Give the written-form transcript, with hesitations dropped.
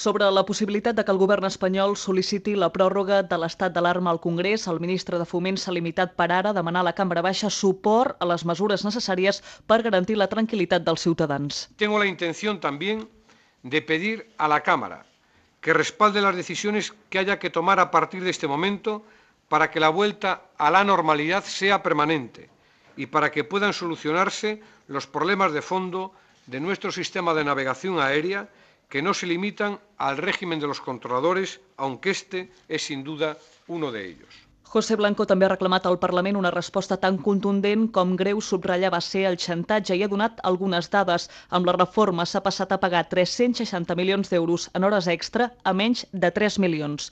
Sobre la possibilitat de que el govern espanyol sol·liciti la pròrroga de l'estat d'alarma al Congrés, el ministre de Foment s'ha limitat per ara a demanar a la Cambra Baixa suport a les mesures necessàries per garantir la tranquil·litat dels ciutadans. Tengo la intención también de pedir a la Cámara que respalde las decisiones que haya que tomar a partir de este momento para que la vuelta a la normalidad sea permanente y para que puedan solucionarse los problemas de fondo de nuestro sistema de navegación aérea que no se limitan al régimen de los controladores, aunque este es sin duda uno de ellos. José Blanco també ha reclamat al Parlament una resposta tan contundent com greu subratlla va ser el xantatge i ha donat algunes dades. Amb la reforma s'ha passat a pagar 360 milions d'euros en hores extra a menys de 3 milions.